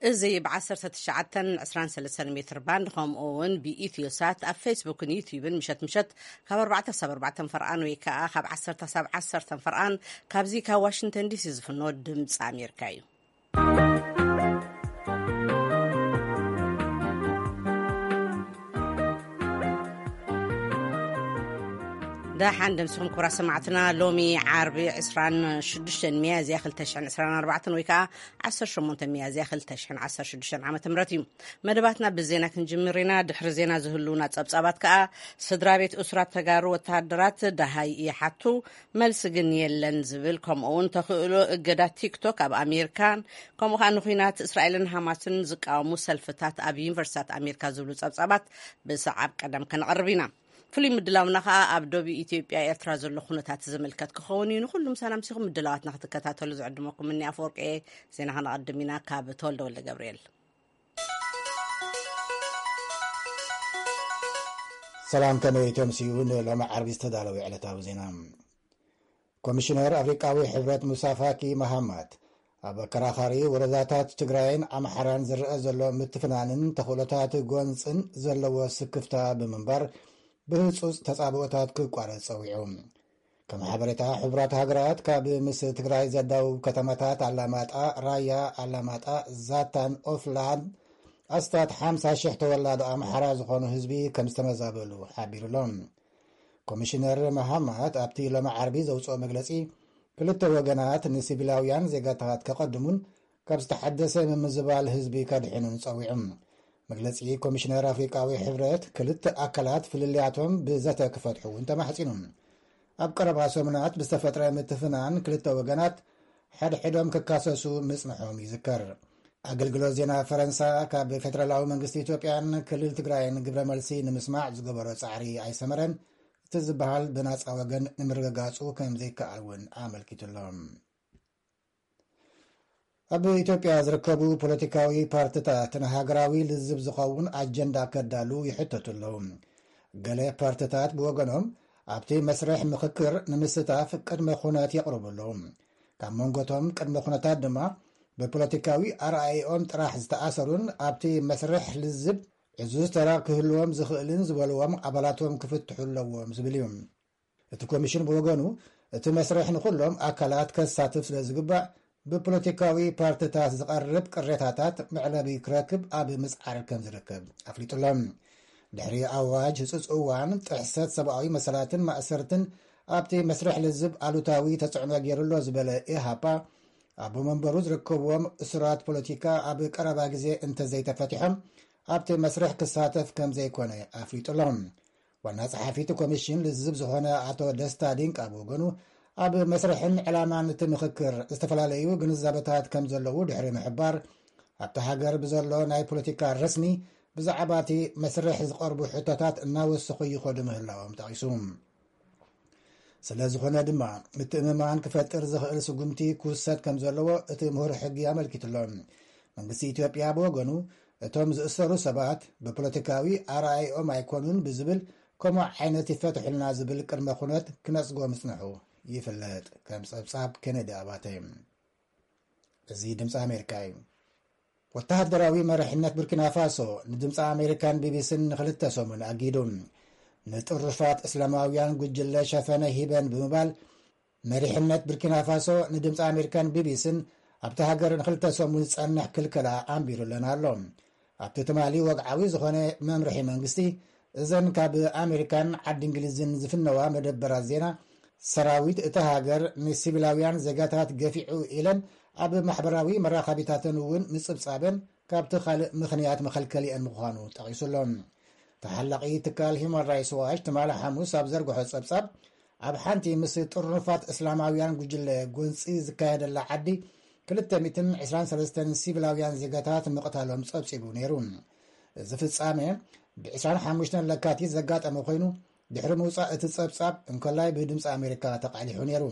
እዚ ብ19 23 ሜትር ባንድ፣ ከምኡ እውን ብኢትዮ ሳት ኣብ ፌስቡክን ዩቲዩብን ምሸት ምሸት ካብ ኣርባዕተ ክሳብ ኣርባዕተ ፈርቓን ወይ ከዓ ካብ ዓሰርተ ክሳብ ዓሰርተ ፈርቓን ካብዚ ካብ ዋሽንግተን ዲሲ ዝፍኖ ድምፂ ኣሜሪካ እዩ። ደሓን ደምስኹም ክቡራት ሰማዕትና። ሎሚ ዓርቢ ዕስራን ሽዱሽተን ሚያዝያ ክልተ ሽሕን ዕስራን ኣርባዕተን ወይ ከዓ ዓሰርተ ሸሞንተ ሚያዝያ ክልተ ሽሕን ዓሰርተ ሽዱሽተን ዓመተ ምህረት እዩ። መደባትና ብዜና ክንጅምር ኢና። ድሕሪ ዜና ዝህልውና ጸብጻባት ከዓ፣ ስድራ ቤት እሱራት ተጋሩ ወተሃደራት ደሃይ ይሓቱ፣ መልሲ ግን የለን ዝብል፣ ከምኡ እውን ተኽእሎ እገዳ ቲክቶክ ኣብ ኣሜሪካን ከምኡ ከዓ ንኹናት እስራኤልን ሃማስን ዝቃወሙ ሰልፍታት ኣብ ዩኒቨርሲታት ኣሜሪካ ዝብሉ ጸብጻባት ብሰዓብ ቀደም ከነቐርብ ኢና። ፍሉይ ምድላውና ከዓ ኣብ ዶብ ኢትዮጵያ ኤርትራ ዘሎ ኩነታት ዝምልከት ክኸውን እዩ። ንኹሉም ሰላም ሲኹም ምድላዋትና ክትከታተሉ ዝዕድመኩም እኒ ኣፈወርቂ እየ። ዜና ከነቐድም ኢና። ካብ ተወልደ ወልደ ገብርኤል። ሰላም፣ ከመይ ተምስዩ? ንሎሚ ዓርቢ ዝተዳለወ ዕለታዊ ዜና። ኮሚሽነር ኣፍሪቃዊ ሕብረት ሙሳ ፋኪ መሃማት፣ ኣብ ኣከራኻሪ ወረዳታት ትግራይን ኣምሓራን ዝረአ ዘሎ ምትፍናንን ተኽእሎታት ጎንፅን ዘለዎ ስክፍታ ብምንባር፣ ብህፁፅ ተፃብኦታት ክቋረፅ ፀዊዑ። ከም ሓበሬታ ሕቡራት ሃገራት፣ ካብ ምስ ትግራይ ዘዳውብ ከተማታት ኣላማጣ፣ ራያ ኣላማጣ፣ ዛታን ኦፍላን ኣስታት ሓምሳ ሽሕ ተወላዶ ኣምሓራ ዝኾኑ ህዝቢ ከም ዝተመዛበሉ ሓቢሩ ኣሎ። ኮሚሽነር መሃማት ኣብቲ ሎሚ ዓርቢ ዘውፅኦ መግለፂ፣ ክልተ ወገናት ንሲቪላውያን ዜጋታት ከቐድሙን ካብ ዝተሓደሰ ምምዝባል ህዝቢ ከድሕኑን ፀዊዑ። መግለፂ ኮሚሽነር ኣፍሪቃዊ ሕብረት፣ ክልተ ኣካላት ፍልልያቶም ብዘተ ክፈትሑ እውን ተማሕፂኑ። ኣብ ቀረባ ሰሙናት ብዝተፈጥረ ምትፍናን ክልተ ወገናት ሓድሕዶም ክካሰሱ ምጽንሖም ይዝከር። ኣገልግሎት ዜና ፈረንሳ ካብ ፌደራላዊ መንግስቲ ኢትዮጵያን ክልል ትግራይን ግብረ መልሲ ንምስማዕ ዝገበሮ ጻዕሪ ኣይሰመረን። እቲ ዝበሃል ብናጻ ወገን ንምርግጋጹ ከም ዘይከኣል እውን ኣመልኪቱ ኣሎ። ኣብ ኢትዮጵያ ዝርከቡ ፖለቲካዊ ፓርቲታት ንሃገራዊ ልዝብ ዝኸውን ኣጀንዳ ከዳሉ ይሕተቱ ኣለዉ። ገለ ፓርቲታት ብወገኖም ኣብቲ መስርሕ ምኽክር ንምስታፍ ቅድመ ኩነት የቕርቡ ኣለዉ። ካብ መንጎቶም ቅድመ ኩነታት ድማ ብፖለቲካዊ ኣረኣእኦም ጥራሕ ዝተኣሰሩን ኣብቲ መስርሕ ልዝብ ዕዙዝ ተራ ክህልዎም ዝኽእልን ዝበልዎም ኣባላቶም ክፍትሑ ኣለዎም ዝብል እዩ። እቲ ኮሚሽን ብወገኑ፣ እቲ መስርሕ ንኹሎም ኣካላት ከሳትፍ ስለ ዝግባእ፣ ብፖለቲካዊ ፓርቲታት ዝቐርብ ቅሬታታት መዕለቢ ክረክብ ኣብ ምጽዓር ከም ዝርከብ ኣፍሊጡ ኣሎ። ድሕሪ ኣዋጅ ህጹጽ እዋን፣ ጥሕሰት ሰብኣዊ መሰላትን ማእሰርትን ኣብቲ መስርሕ ልዝብ ኣሉታዊ ተጽዕኖ ገይሩ ኣሎ ዝበለ ኢሃፓ፣ ኣቦ መንበሩ ዝርከብዎም እሱራት ፖለቲካ ኣብ ቀረባ ግዜ እንተዘይተፈቲሖም፣ ኣብቲ መስርሕ ክሳተፍ ከም ዘይኮነ ኣፍሊጡ ኣሎ። ዋና ጸሓፊ እቲ ኮሚሽን ልዝብ ዝኾነ ኣቶ ደስታ ዲንቃ ብወገኑ፣ ኣብ መስርሕን ዕላማን እቲ ምኽክር ዝተፈላለዩ ግንዛበታት ከም ዘለዉ ድሕሪ ምሕባር፣ ኣብቲ ሃገር ብዘሎ ናይ ፖለቲካ ረስኒ ብዛዕባ እቲ መስርሕ ዝቐርቡ ሕቶታት እናወሰኹ ይኸዱ ምህላዎም ጠቒሱ። ስለ ዝኾነ ድማ፣ ምትእምማን ክፈጥር ዝኽእል ስጉምቲ ክውሰድ ከም ዘለዎ እቲ ምሁር ሕጊ ኣመልኪቱ ኣሎ። መንግስቲ ኢትዮጵያ ብወገኑ፣ እቶም ዝእሰሩ ሰባት ብፖለቲካዊ ኣረኣእኦም ኣይኮኑን ብዝብል፣ ከምኡ ዓይነት ይፈትሑልና ዝብል ቅድመ ኩነት ክነጽጎ ምጽንሑ ይፍለጥ። ከም ጸብጻብ ኬነዲ ኣባተ። እዚ ድምፂ ኣሜሪካ እዩ። ወተሃደራዊ መሪሕነት ቡርኪና ፋሶ ንድምፂ ኣሜሪካን ቢቢሲን ንኽልተ ሰሙን ኣጊዱ። ንጥሩፋት እስላማውያን ጉጅለ ሸፈነ ሂበን ብምባል፣ መሪሕነት ቡርኪና ፋሶ ንድምፂ ኣሜሪካን ቢቢሲን ኣብቲ ሃገር ንኽልተ ሰሙን ዝጸንሕ ክልከላ ኣንቢሩለን ኣሎ። ኣብቲ ትማሊ ወግዓዊ ዝኾነ መምርሒ መንግስቲ፣ እዘን ካብ ኣሜሪካን ዓዲ እንግሊዝን ዝፍነዋ መደበራት ዜና፣ ሰራዊት እታ ሃገር ንሲቪላውያን ዜጋታት ገፊዑ ኢለን ኣብ ማሕበራዊ መራኸቢታተን እውን ምጽብጻበን ካብቲ ካልእ ምኽንያት መኸልከሊአን ምዃኑ ጠቒሱ ኣሎ። ተሓላቒ ትካል ሂዩማን ራይትስ ዋች ትማሊ ሓሙስ ኣብ ዘርግሖ ጸብጻብ፣ ኣብ ሓንቲ ምስ ጥርኑፋት እስላማውያን ጉጅለ ጎንጺ ዝካየደላ ዓዲ ክልተ ሚእትን ዕስራን ሰለስተን ሲቪላውያን ዜጋታት ምቕታሎም ጸብጺቡ ነይሩ። እዚ ፍጻሜ ብ ዕስራን ሓሙሽተን ለካቲት ዘጋጠመ ኮይኑ፣ ድሕሪ ምውጻእ እቲ ጸብጻብ እንኮላይ ብድምፂ ኣሜሪካ ተቓሊሑ ነይሩ።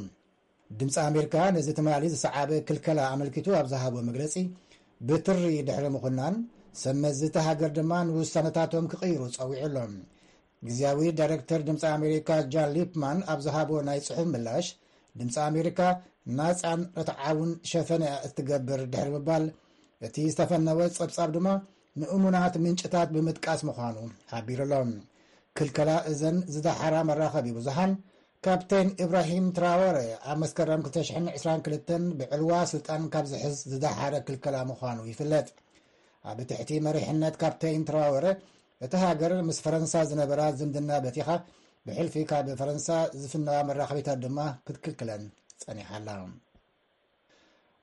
ድምፂ ኣሜሪካ ነዚ ትማሊ ዝሰዓበ ክልከላ ኣመልኪቱ ኣብ ዝሃቦ መግለጺ፣ ብትሪ ድሕሪ ምኹናን፣ ሰብ መዚ እታ ሃገር ድማ ንውሳነታቶም ክቕይሩ ጸዊዑ ኣሎ። ግዝያዊ ዳይሬክተር ድምፂ ኣሜሪካ ጃን ሊፕማን ኣብ ዝሃቦ ናይ ጽሑፍ ምላሽ፣ ድምፂ ኣሜሪካ ናጻን ርትዓውን ሸፈነ እያ እትገብር ድሕሪ ምባል፣ እቲ ዝተፈነወ ጸብጻብ ድማ ንእሙናት ምንጭታት ብምጥቃስ ምዃኑ ሓቢሩ ኣሎ። ክልከላ እዘን ዝደሓራ መራኸቢ ብዙሓን፣ ካፕቴን ኢብራሂም ትራወረ ኣብ መስከረም ክልተ ሽሕን ዕስራን ክልተን ብዕልዋ ስልጣን ካብ ዝሕዝ ዝደሓረ ክልከላ ምዃኑ ይፍለጥ። ኣብ ትሕቲ መሪሕነት ካፕቴን ትራወረ፣ እቲ ሃገር ምስ ፈረንሳ ዝነበራ ዝምድና በቲኻ፣ ብሕልፊ ካብ ፈረንሳ ዝፍነዋ መራኸቢታት ድማ ክትክልክለን ጸኒሓ ኣላ።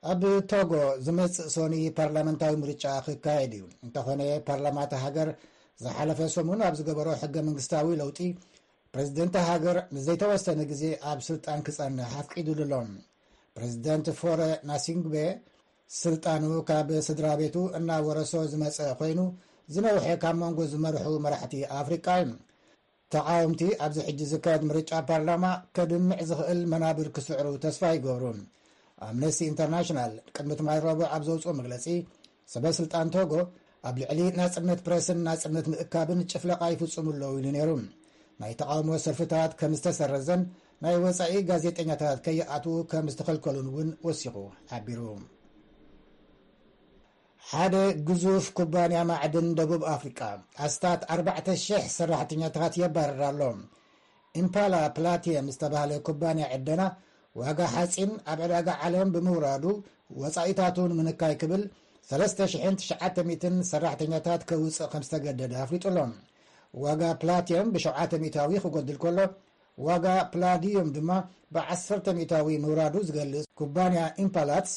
ኣብ ቶጎ ዝመጽእ ሶኒ ፓርላመንታዊ ምርጫ ክካየድ እዩ። እንተኾነ፣ ፓርላማ እታ ሃገር ዝሓለፈ ሰሙን ኣብ ዝገበሮ ሕገ መንግስታዊ ለውጢ፣ ፕሬዝደንት ሃገር ንዘይተወሰነ ግዜ ኣብ ስልጣን ክጸንሕ ኣፍቂዱሉ ኣሎ። ፕሬዝደንት ፎረ ናሲንግቤ ስልጣኑ ካብ ስድራ ቤቱ እናወረሶ ዝመጸ ኮይኑ፣ ዝነውሐ ካብ መንጎ ዝመርሑ መራሕቲ ኣፍሪቃ እዩ። ተቓወምቲ ኣብዚ ሕጂ ዝካየድ ምርጫ ፓርላማ ከድምዕ ዝኽእል መናብር ክስዕሩ ተስፋ ይገብሩ። ኣምነስቲ ኢንተርናሽናል ቅድሚ ትማሊ ረቡዕ ኣብ ዘውፅኦ መግለጺ፣ ሰበ ስልጣን ቶጎ ኣብ ልዕሊ ናጽነት ፕረስን ናጽነት ምእካብን ጭፍለቓ ይፍጽሙ ኣለዉ ኢሉ ነይሩ። ናይ ተቓውሞ ሰልፍታት ከም ዝተሰረዘን ናይ ወጻኢ ጋዜጠኛታት ከይኣትዉ ከም ዝተኸልከሉን እውን ወሲኹ ሓቢሩ። ሓደ ግዙፍ ኩባንያ ማዕድን ደቡብ ኣፍሪቃ ኣስታት ኣርባዕተ ሽሕ ሰራሕተኛታት የባርር ኣሎ። ኢምፓላ ፕላቲየም ዝተባህለ ኩባንያ ዕደና ዋጋ ሓፂን ኣብ ዕዳጋ ዓለም ብምውራዱ፣ ወፃኢታቱ ንምንካይ ክብል ሰለስተ ሽሕን ትሽዓተ ሚእትን ሰራሕተኛታት ከውፅእ ከም ዝተገደደ ኣፍሊጡ ኣሎ። ዋጋ ፕላቲየም ብሸውዓተ ሚእታዊ ክጎድል ከሎ፣ ዋጋ ፕላዲዩም ድማ ብዓሰርተ ሚእታዊ ምውራዱ ዝገልጽ ኩባንያ ኢምፓላትስ፣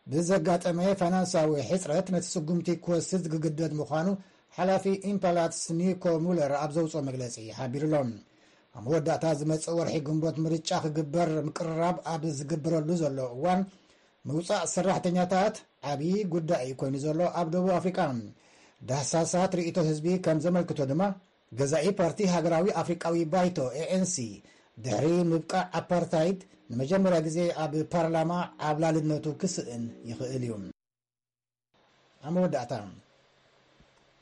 ብዘጋጠመ ፋይናንሳዊ ሕጽረት ነቲ ስጉምቲ ክወስድ ክግደድ ምዃኑ ሓላፊ ኢምፓላትስ ኒኮ ሙለር ኣብ ዘውፅኦ መግለጺ ሓቢሩ ኣሎ። ኣብ መወዳእታ ዝመጽእ ወርሒ ግንቦት ምርጫ ክግበር ምቅርራብ ኣብ ዝግበረሉ ዘሎ እዋን፣ ምውጻእ ሰራሕተኛታት ዓብዪ ጉዳይ ኮይኑ ዘሎ ኣብ ደቡብ ኣፍሪቃ። ዳህሳሳት ርእይቶ ህዝቢ ከም ዘመልክቶ ድማ፣ ገዛኢ ፓርቲ ሃገራዊ ኣፍሪቃዊ ባይቶ፣ ኤ ኤን ሲ፣ ድሕሪ ምብቃዕ ኣፓርታይድ ንመጀመርያ ግዜ ኣብ ፓርላማ ዓብላልነቱ ክስእን ይኽእል እዩ። ኣብ መወዳእታ፣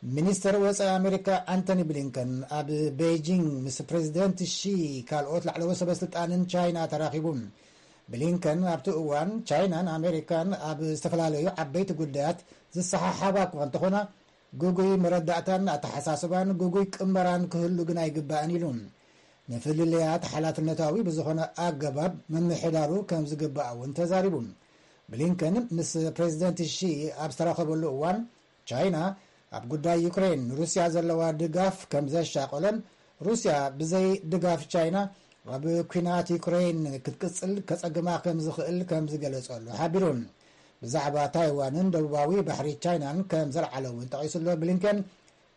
ሚኒስተር ወጻኢ ኣሜሪካ ኣንቶኒ ብሊንከን ኣብ ቤይጂንግ ምስ ፕሬዚደንት ሺ ካልኦት ላዕለዎት ሰበ ስልጣንን ቻይና ተራኺቡ። ብሊንከን ኣብቲ እዋን፣ ቻይናን ኣሜሪካን ኣብ ዝተፈላለዩ ዓበይቲ ጉዳያት ዝሰሓሓባ እኳ እንተኾና፣ ግጉይ መረዳእታን ኣተሓሳስባን ግጉይ ቅመራን ክህሉ ግን ኣይግባእን ኢሉ። ንፍልልያት ሓላፍነታዊ ብዝኾነ ኣገባብ ምምሕዳሩ ከም ዝግባእ እውን ተዛሪቡ። ብሊንከን ምስ ፕሬዚደንት ሺ ኣብ ዝተራኸበሉ እዋን፣ ቻይና ኣብ ጉዳይ ዩክሬን ንሩስያ ዘለዋ ድጋፍ ከም ዘሻቆለን፣ ሩስያ ብዘይ ድጋፍ ቻይና ኣብ ኲናት ዩክሬን ክትቅጽል ከጸግማ ከም ዝኽእል ከም ዝገለጸሉ ሓቢሩ። ብዛዕባ ታይዋንን ደቡባዊ ባሕሪ ቻይናን ከም ዘልዓለ እውን ጠቒሱ ኣሎ ብሊንከን።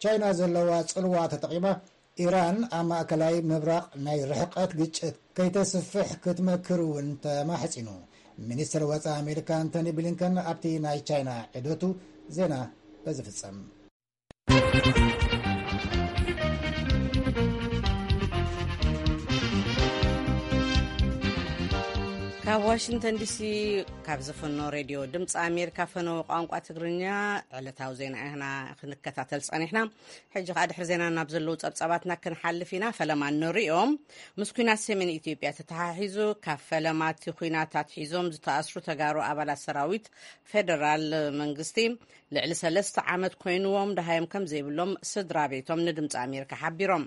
ቻይና ዘለዋ ጽልዋ ተጠቒማ፣ ኢራን ኣብ ማእከላይ ምብራቕ ናይ ርሕቀት ግጭት ከይተስፍሕ ክትመክር እውን ተማሕጺኑ። ሚኒስትር ወጻኢ ኣሜሪካ ኣንቶኒ ብሊንከን ኣብቲ ናይ ቻይና ዑደቱ። ዜና በዚ ፍጸም። ካብ ዋሽንግተን ዲሲ፣ ካብ ዝፍኖ ሬድዮ ድምፂ ኣሜሪካ ፈነወ ቋንቋ ትግርኛ፣ ዕለታዊ ዜና ኢና ክንከታተል ጸኒሕና። ሕጂ ከኣ ድሕሪ ዜና ናብ ዘለዉ ጸብጻባትና ክንሓልፍ ኢና። ፈለማ ንሪኦም። ምስ ኲናት ሰሜን ኢትዮጵያ ተተሓሒዙ፣ ካብ ፈለማ እቲ ኲናት ኣትሒዞም ዝተኣስሩ ተጋሩ ኣባላት ሰራዊት ፌደራል መንግስቲ፣ ልዕሊ ሰለስተ ዓመት ኮይንዎም፣ ደሃዮም ከም ዘይብሎም ስድራ ቤቶም ንድምፂ ኣሜሪካ ሓቢሮም።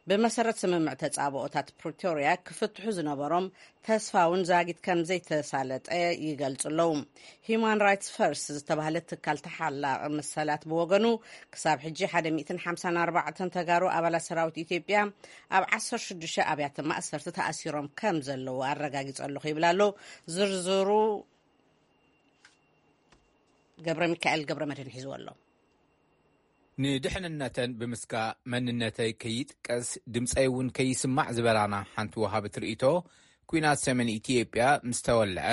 ብመሰረት ስምምዕ ተፃብኦታት ፕሪቶርያ፣ ክፍትሑ ዝነበሮም ተስፋ እውን ዛጊት ከም ዘይተሳለጠ ይገልጹ ኣለዉ። ሂዩማን ራይትስ ፈርስት ዝተባህለ ትካል ተሓላቒ መሰላት ብወገኑ፣ ክሳብ ሕጂ ሓደ ሚእትን ሓምሳን ኣርባዕተን ተጋሩ ኣባላት ሰራዊት ኢትዮጵያ ኣብ ዓሰርተ ሽዱሽተ ኣብያተ ማእሰርቲ ተኣሲሮም ከም ዘለዉ ኣረጋጊጹ ኣለኹ ይብል ኣሎ። ዝርዝሩ ገብረ ሚካኤል ገብረ መድህን ሒዝዎ ኣሎ። ንድሕንነተን ብምስጋ፣ መንነተይ ከይጥቀስ፣ ድምፀይ እውን ከይስማዕ ዝበላና ሓንቲ ወሃብት ርእይቶ፣ ኲናት ሰሜን ኢትዮጵያ ምስ ተወልዐ፣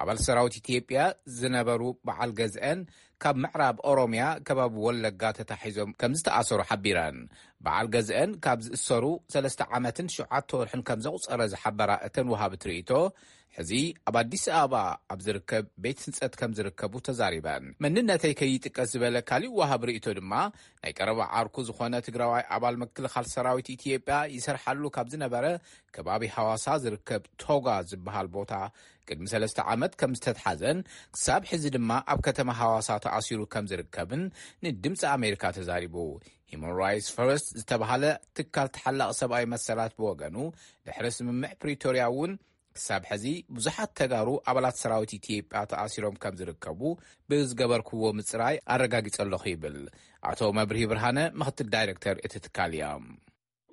ኣባል ሰራዊት ኢትዮጵያ ዝነበሩ በዓል ገዝአን ካብ ምዕራብ ኦሮምያ ከባቢ ወለጋ ተታሒዞም ከም ዝተኣሰሩ ሓቢረን። በዓል ገዝአን ካብ ዝእሰሩ ሰለስተ ዓመትን ሸውዓተ ወርሕን ከም ዘቑፀረ ዝሓበራ እተን ወሃብት ርእይቶ፣ ሕዚ ኣብ ኣዲስ ኣበባ ኣብ ዝርከብ ቤት ህንጸት ከም ዝርከቡ ተዛሪበን። መንነተይ ከይጥቀስ ዝበለ ካሊእ ወሃብ ርእይቶ ድማ፣ ናይ ቀረባ ዓርኩ ዝኾነ ትግራዋይ ኣባል ምክልኻል ሰራዊት ኢትዮጵያ ይሰርሓሉ ካብ ዝነበረ ከባቢ ሃዋሳ ዝርከብ ቶጋ ዝበሃል ቦታ ቅድሚ ሰለስተ ዓመት ከም ዝተትሓዘን ክሳብ ሕዚ ድማ ኣብ ከተማ ሃዋሳ ተኣሲሩ ከም ዝርከብን ንድምፂ ኣሜሪካ ተዛሪቡ። ሂማን ራይትስ ፈርስት ዝተባሃለ ትካል ተሓላቒ ሰብኣዊ መሰላት ብወገኑ፣ ድሕሪ ስምምዕ ፕሪቶርያ እውን ክሳብ ሕዚ ብዙሓት ተጋሩ ኣባላት ሰራዊት ኢትዮጵያ ተኣሲሮም ከም ዝርከቡ ብዝገበርክዎ ምፅራይ ኣረጋጊጸ ኣለኹ ይብል። ኣቶ መብርሂ ብርሃነ ምኽትል ዳይሬክተር እቲ ትካል እዮም።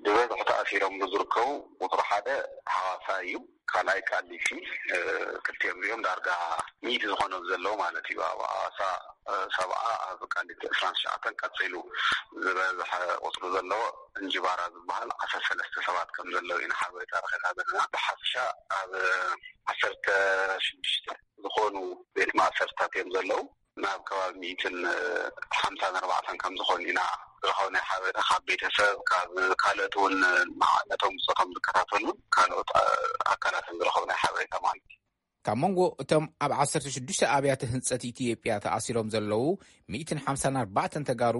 ብበዝሒ ተኣሲሮም ዝርከቡ ቁፅሪ ሓደ ሃዋሳ እዩ። ካልኣይ ቃሊቲ፣ ክልቲኦም እዚኦም ዳርጋ ሚእቲ ዝኾኑ ዘለዉ ማለት እዩ። ኣብ ሃዋሳ ሰብዓ፣ ኣብ ቃሊቲ ዕስራን ትሽዓተን፣ ቀፂሉ ዝበዝሐ ቁፅሪ ዘለዎ እንጅባራ ዝበሃል ዓሰርተ ሰለስተ ሰባት ከም ዘለዉ ኢና ሓበሬታ ረኺብና ዘለና። ብሓፈሻ ኣብ ዓሰርተ ሽዱሽተ ዝኾኑ ቤት ማእሰርትታት እዮም ዘለዉ። ናብ ከባቢ ሚእትን ሓምሳን ኣርባዕተን ከም ዝኾኑ ኢና ዝረኸብናዮ ሓበሬታ፣ ካብ ቤተሰብ፣ ካብ ካልኦት እውን ነቶም ብፆቶም ዝከታተሉ ካልኦት ኣካላትን ዝረኸብናዮ ሓበሬታ ማለት እዩ። ካብ መንጎ እቶም ኣብ ዓሰርተ ሽዱሽተ ኣብያተ ህንጸት ኢትዮጵያ ተኣሲሮም ዘለዉ ሚእትን ሓምሳን ኣርባዕተን ተጋሩ፣